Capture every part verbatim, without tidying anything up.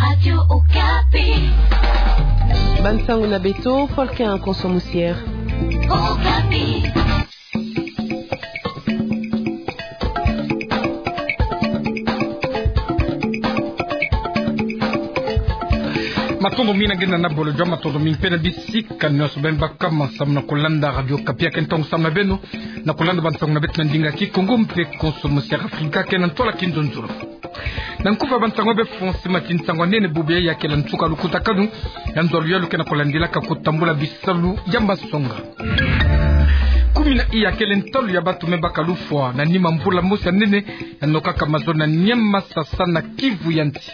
Radio Okapi. Bansango na beto, Folkin Konso Musier. Okapi. Matondo mingi na nge na bolo jwa, matondo mingi mpe na bisika nyonso beno babaka samu na kulanda Radio Okapi. Ya ke ntangu samu na beno na kulanda bansango na beto na ndinga Kikongo mpe Konso Musier Afrika ke na ntwala kinzonzolo. Na nkufi ya bansango beno fweti mati nsango ya nene bubu ya kele nsuka lukutakanu ya nzo ya luyalu ke na kulandilaka kutambula bisalu ya masonga. Kumi na iya kele ntalu ya bantu me baka lufwa na nima mvula mosi ya nene ya nokaka mazono na Nyamasa na Kivu ya nsi.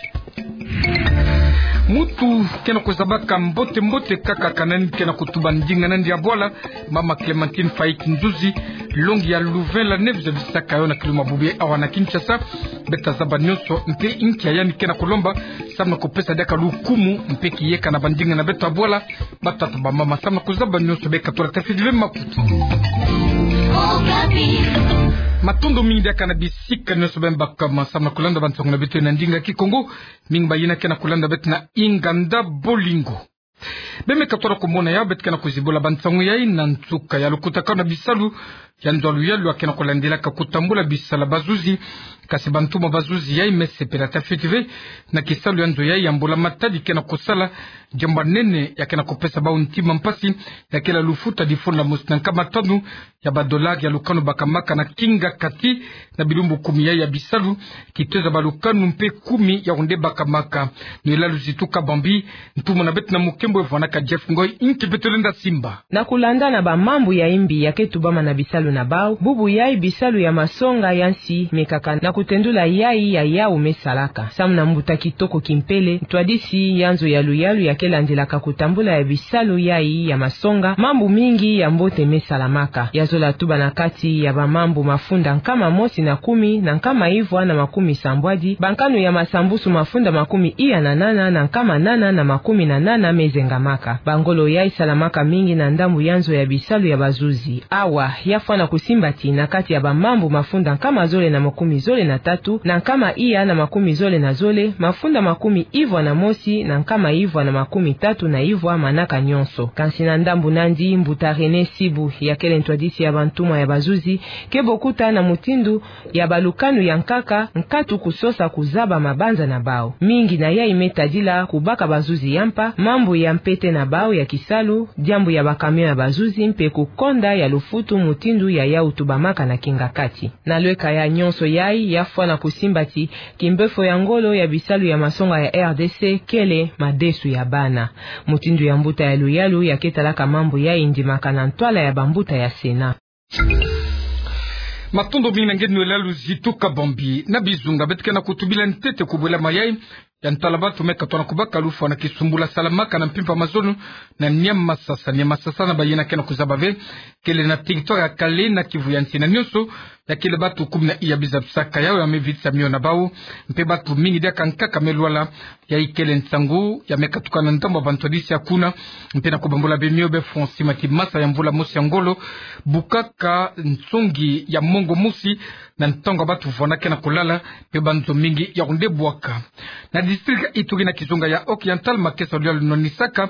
Muntu ke na kuzabaka mbote mbote kaka kanani ke na kutuba ndinga na ndia bwala, mama Clémentine Faïk Nzuzi, longi ya Louvain la Neuve zabisaka yo na kiluma bubu ya awa na Kinshasa. Beto tazaba nyonso mpe inki ya yandi ke na kulomba samu na kupesa diaka lukumu mpe kiyeka na bandinga na beto ya bwala, batata, bamama, samu na kuzaba nyonso. Beno katula tafiti ve makutu. Matondo mingi diaka na bisika nyonso beno babaka samu na kulanda bansango na beto na ndinga Kikongo. Mingi bayina ke na kulanda beto na inganda bolingo. Beno me katula kumona ya beto ke na kuzibula bansango yayi na nsuka ya lukutakanu na bisalu ya nzo ya luyalu ya ke na kulandilaka kutambula bisalu ya bazuzi. Kasi bantuma bazuzi yayi me sepela tafiti ve na kisalu ya nzo yayi ya mbula matadi ke na kusala, diambu ya nene ya ke na kupesa bawu ntima mpasi, ya kele lufuta difunda mosi na nkama tanu ya badolari ya lukanu bakamaka na kingakati na bilumbu kumi yayi ya bisalu, kitueza balukanu mpe kumi ya onde bakamaka. Noëlla Luzitu Kabambi, ntumwa na beto na Mukembo, evwanaka Jeff Ngoy, inki beto lenda simba. Na kulanda na bamambu ya imbi ya ke tubama na bisalu na bawu, bubu yayi bisalu ya masonga ya nsi mekaka na kutendula yayi ya yawu me salaka. Samu na mbuta kitoko kimpele, ntwadisi ya nzo ya luyalu ya ke landilaka kutambula ya bisalu yayi ya masonga, mambu mingi ya mbote me salamaka. Ya zola tuba na kati ya bamambu mafunda nkama mosi na kumi na nkama ivwa na makumi sambwadi, bankanu ya masambusu mafunda makumi iya na nana na nkama nana na makumi na nana me zengamaka. Bangolo yayi salamaka mingi na ndambu ya nzo ya bisalu ya bazuzi. Awa, ya fwana kusimba ti na kati ya bamambu mafunda nkama zole na makumi zole na tatu, na nkama iya na makumi zole na zole, mafunda makumi ivwa na mosi na nkama ivwa na makumi tatu na ivwa manaka nyonso. Kansi na ndambu nandi, mbuta René Sibu, ya kele ntwadisi ya bantumwa ya bazuzi, ke bokuta na mutindu ya balukanu ya nkaka nkatu kusosa kuzaba mabanza na bawu. Mingi na yayi me tadila kubaka bazuzi ya mpa, mambu ya mpete na bawu ya kisalu, diambu ya bakamion ya bazuzi mpe kukonda ya lufutu mutindu ya yawu tubamaka na kingakati. Na lweka ya nyonso yayi, ya fwana kusimba ti kimbefo ya ngolo ya bisalu ya masonga ya R D C kele madesu ya bana. Mutindu ya mbuta ya luyalu ya ke talaka mambu yayi ndimaka na ntwala ya bambuta ya Sénat. Matondo mingi na nge Noëlla Luzitu Kabambi. Na bizunga beto ke na kutubila ntete kubwela mayayi ya ntwala bantu me katona kubaka lufwa na kisumbula salamaka na mpimpa mazono na Niamasasa. Niamasasa na bayina ke na kuzaba ve kele na territoire ya Kale na Kivu ya nsi. Na nyonso ya kele bantu kumi na iya biza bisaka yawu ya me vitisa mio na bawu, mpe bantu mingi diaka nkaka me lwala. Yayi kele nsangu ya me katuka na ndambu ya bantwadisi ya kuna, mpe na kubambula beno mio, beno fweti mati masa ya mvula mosi ya ngolo bukaka nsongi ya mongo mosi na ntangu ya bantu vwanda ke na kulala, mpe banzo mingi ya kunde bwaka. Na district ya Ituri na kizunga ya Occidental, makesa ya luyalu nonisaka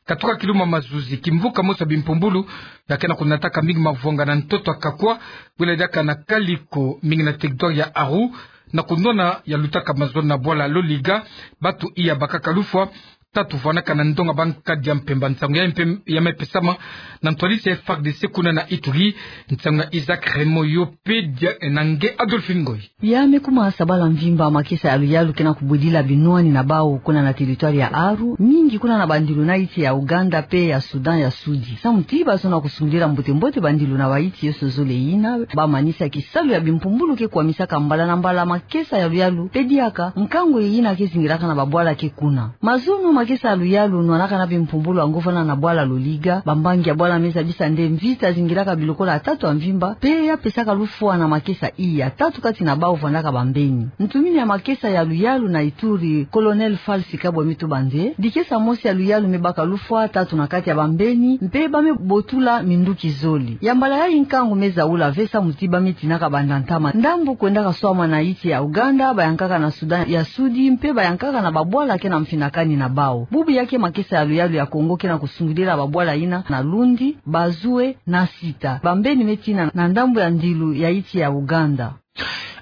katuka kiluma mazuzi, kimvuka mosi ya bimpumbulu ya ke na kunataka mingi mavwanga na ntoto ya Kakwa, bwela diaka na Kaliko, mingi na territoire ya Aru, na kunwana ya lutaka mazono na bwala Loliga, bantu iya bakaka lufwa, tatu vwanaka na ndonga bankadi ya mpemba. Nsangu ya mpe ya me pesama na ntwadisi ya F A R D C kuna na Ituri. Nsangu ya Isaac Raymond Yopedia na nge Adolphine Ngoy. Ya me kuma sabala mvimba makesa ya luyalu ke na kubwidila binwani na bawu kuna na territoire ya Aru, mingi kuna na bandilu na iti ya Ouganda mpe ya Soudan ya Sudi. Samu ti bazono kusungidila mbote mbote bandilu na baiti yoso zole yina, ba manisa kisalu ya bimpumbulu ke kwamisaka mbala na mbala makesa ya luyalu, mpe diaka nkangu yina ke zingilaka na babwala ke kuna. Mazono ma Makesa ya luyalu nwanaka na bimpumbulu yango vwanda na bwala Loliga. Bambangi ya bwala me zabisa nde mvita zingilaka bilokolo ya tatu ya mvimba, mpe ya pesaka lufwa na makesa iya. Tatu kati na bawu vwandaka bambeni. Ntumini ya makesa ya luyalu na Ituri, Colonel Falsi Kabwe me tuba nde, dikesa mosi ya luyalu me baka lufwa, tatu na kati ya bambeni, mpe ba me botula minduki zole. Ya mbala yayi nkangu me zaula ve samu ti ba me tinaka banda ntama ndambu kwendaka swama na insi ya Ouganda, bayankaka na Sudan ya Sudi, mpe bayankaka na babwala ke na mfinakani na bawu. Bubu ya ke makesa ya luyalu ya Kongo ke na kusungidila babwala yina na Lundi, Bazue na Sita. Bambeni me tina na ndambu ya ndilu ya insi ya Ouganda.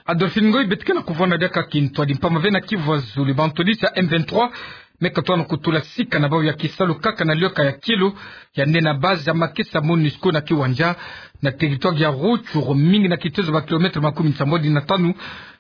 Adolphine Ngoy, beto ke na kuvwanda diaka kintwadi mpamba ve na Kivu ya zulu, bantwadisi ya M vingt-trois me katuka na kutula sika na bawu ya kisalu kaka na liyoka ya kielo, yandi na base ya makesa MONUSCO na Kiwanja, na territoire ya Rutshuru, mingi na kitezo ba kilomètre makumi nsambwadi na tanu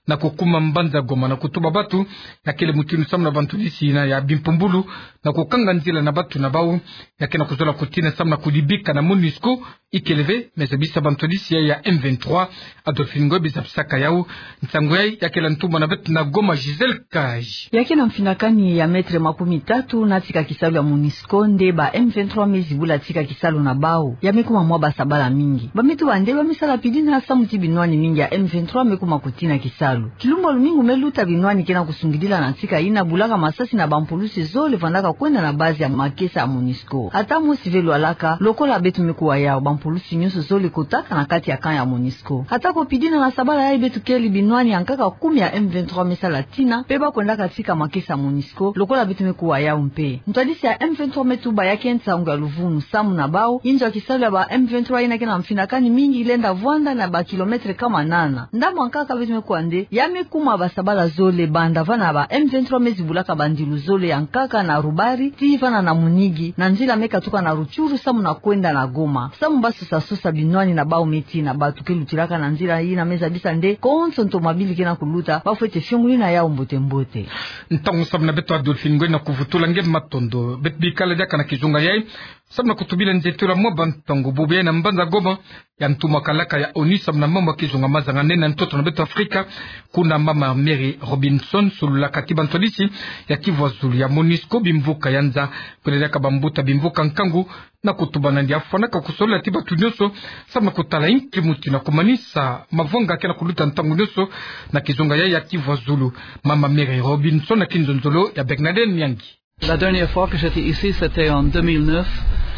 na kukuma mbanza Goma, na kutuba bato ya kele mutindu samu na bantwadisi yina ya bimpumbulu na kukanga nzila na bato na bawu, ya ke na kuzola kutina samu na kudibika na MONUSCO ikele ve. Me zabisa bantwadisi ya M vingt-trois. Adolphine Ngoy, biza bisaka yawu, nsangu yayi ya kele ntumwa na beto na Goma, Gisèle Kaji. Ya ke na mfinakani ya mètre makumi tatu na tika kisalu ya MONUSCO nde ba M vingt-trois me zibula tika kisalu na bawu. Ya me kuma mwa basabala mingi. Ba me tuba nde ba me sala pidina samu ti binwani mingi ya M vingt-trois me kuma kutina kisalu. Kilumbu ya lumingu me luta, binwani ke na kusungidila na tika yina bulaka masasi na bampulusi zole vandaka kwenda na base ya makesa ya MONUSCO. Ata mosi ve lwalaka, lokola beto me kuwa yawu, bampulusi nyonso zole kotaka na kati ya camp ya MONUSCO. Ata ko pidina na sabala yayi beto kele binwani ya nkaka kumi ya M vingt-trois me sala tina, mpe ba kwendaka tika makesa ya MONUSCO, lokola beto me kuwa yawu mpe. Ntwadisi ya M vingt-trois me tuba ya ke nsangu ya luvunu samu na bawu, inzo ya kisalu ya ba M vingt-trois yina ke na mfinakani mingi lenda vwanda na ba kilomètre kama nana. Ndambu ya nkaka beto me kuwa nde, ya me kuma basabala zole banda vana ba M vingt-trois me zibulaka bandilu zole ya nkaka na Rubari, tii vana na Munigi, na nzila me katuka na Rutshuru samu na kwenda na Goma. Samu ba sosa sosa binwani na bawu me tina, bato ke lutilaka na nzila yina me zabisa nde konso ntomabili ke na kuluta, ba fwete fiongolina yawu mbote mbote. Ntangu samu na beto Adolphine Ngoy na kuvutula nge matondo. Beto bikala diaka na kizunga yayi samu na kutubila nzietolo ya mwa bantangu. Bubu yayi na mbanza Goma, ya ntumwa kalaka ya ONU samu na mambu ya kizunga mazanganene na ntoto na beto Afrika, kuna mama Mary Robinson, sololaka ti bantwadisi ya Kivu ya zulu, ya MONUSCO, bimvuka ya nza, kwenda diaka bambuta bimvuka nkangu, na kutuba nandi afwanaka kusolola ti bato nyonso samu na kutala inki mutindu ya kumanisa mavwanga ke na kuluta ntangu nyonso na kizunga yayi ya Kivu ya zulu. Mama Mary Robinson na kinzonzolo ya Bernadette Nyangi. La dernière fois que j'étais ici, c'était en deux mille neuf.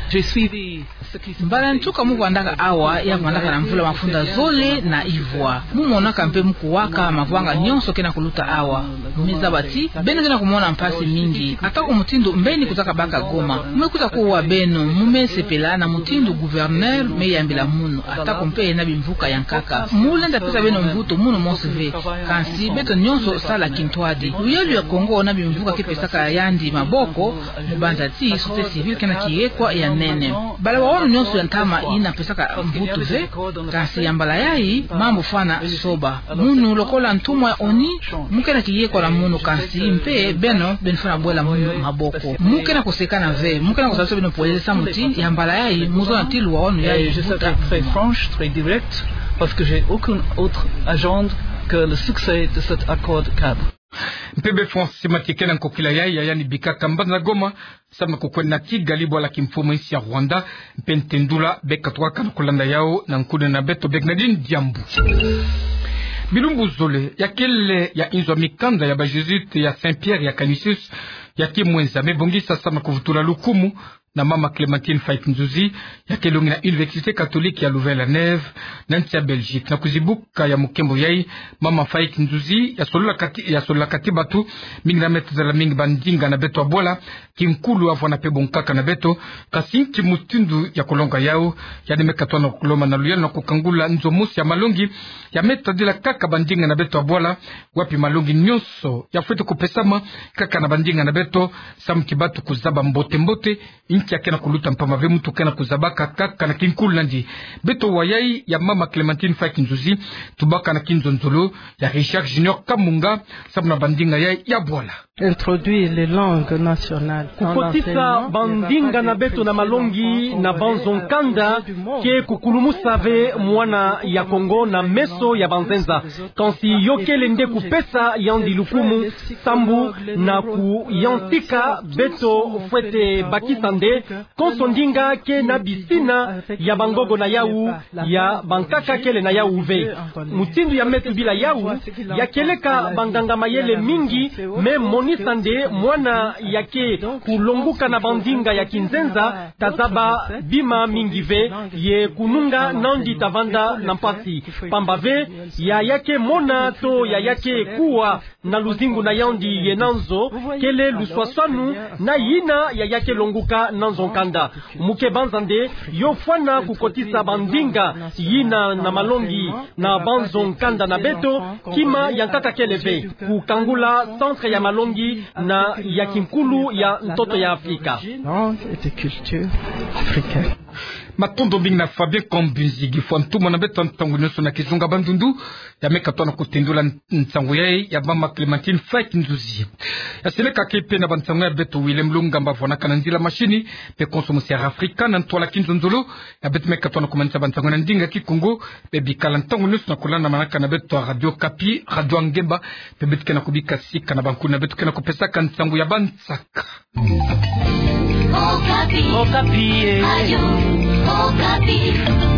J'ai suivi ce qui se Mbala ya nsuka mu vandaka awa, ya vandaka na mvula mafunda zole na ivwa. Mu monaka mpe mu kuwaka mavwanga nyonso ke na kuluta awa. Me zaba ti beno ke na kumona mpasi mingi. Ata ko mutindu mbeni kutaka baka Goma, mu me kuta kuwa beno, mu me sepela na mutindu gouverneur me yambila munu, ata ko mpe na bimvuka ya nkaka. Mu lenda pesa beno mvutu munu mosi ve. Kansi beto nyonso sala kintwadi. Luyalu ya Kongo na bimvuka ke pesaka yandi maboko, mu banza ti société civile ke na kiyekwa ya nene. Bala wawanu nyonso ya ntama yina pesaka mvutu ve, kansi ya mbala yayi mambu fwana soba. Munu lokola ntumwa ya ONU, mu ke na kiyekwa la munu, kansi mpe beno, beno fwana bwela munu maboko. Mu ke na kusekana ve, mu ke na kusalisa beno polele samu ti ya mbala yayi mu zona ti luwawanu yayi. Et je serai très franche, très directe, parce que j'ai aucune autre agenda que le succès de cet accord cadre. Mpeve Francis Mathieu ke na nkokila yayi ya yandi bikaka mbanza Goma, samu na kukwenda na Kigali, bwala kimfumu insi ya Rwanda, mpe ntendula be katuka na kulanda yawu na nkuna na beto Bernadine Diambu. Bilumbu zole, ya kele ya inzo ya mikanda ya ba Jésuites ya Saint-Pierre ya Canisius ya Kimwenza me bongisa samu na kuvutula lukumu na mama Clémentine Faïk Nzuzi, ya ke longi na Université catholique ya Louvain-la-Neuve, na nsi ya Belgique. Na kuzibuka ya mukembo yayi, mama Faïk Nzuzi ya sololaka ti, ya sololaka ti bato mingi na me tazala mingi bandinga na beto ya bwala, kinkulu, afwana mpe bonkaka na beto. Kansi nki mutindu ya kulonga yawu? Yandi me katuka na kulomba na luyalu na kukangula nzo mosi ya malongi ya me tadila kaka bandinga na beto ya bwala, wapi malongi nyonso ya fwete kupesama kaka na bandinga na beto, samu ti bato kuzaba mbote mbote inki ya ke na kuluta, mpamba ve muntu ke na kuzabaka kaka na kinkulu nandi. Beto wa yayi ya mama Clémentine Faïk Nzuzi, tubaka na kinzonzolo ya Richard Junior Kamunga, samu na bandinga yayi ya bwala. Introduire les langues nationales dans l'enseignement. Kukotisa bandinga na beto na malongi na banzo nkanda ke kukulumusa ve mwana ya Kongo na meso ya banzenza. Kansi yo kele nde kupesa yandi lukumu, sambu na kuyantika beto fwete bakisa nde konso ndinga ke na bisina ya bangogo na yau, ya bankaka kele na yau ve. Mutindu ya me tubila yau, ya kieleka banganga mayele mingi me monisa nde mwana ya ke kulonguka na bandinga ya kinzenza ta zaba bima mingi ve, ye kununga nandi ta vanda na mpasi. Pamba ve, ya ya ke mona to ya ya ke kuwa na luzingu na yandi ye na nzo, kele luswaswanu na yina ya ya ke longuka na nzo nkanda. Mu ke banza nde yo fwana kukotisa bandinga yina na malongi na banzo nkanda na beto, kima ya nkaka kele ve, kukangula centre ya malongi na ya kinkulu ya ntoto ya Afrika. Langue et de culture africaine. Matondo mingi na Fabien Kambinzi, gi fwa ntumwa na beto ntangu nyonso na kizunga Bandundu. Ya me katoa na kutendula nsangu yayi, ya mama Clémentine Faye Kinzuzi. Ya seleka ke pe na bansangu ya beto Willem Lungamba vwanaka na nzila mashini, pe konso musi ya Afrika na ntwala kinzonzolo. Ya beto me katoa na kumanisa bansangu na ndinga Kikongo, pe bikala ntangu nyonso na kulanda manaka na beto Radio Okapi, Radio Ngemba, pe beto ke na kubika sika na bankulu na beto ke na kupesaka nsangu ya bansaka. Okapi. Okapi, eh. Radio Okapi.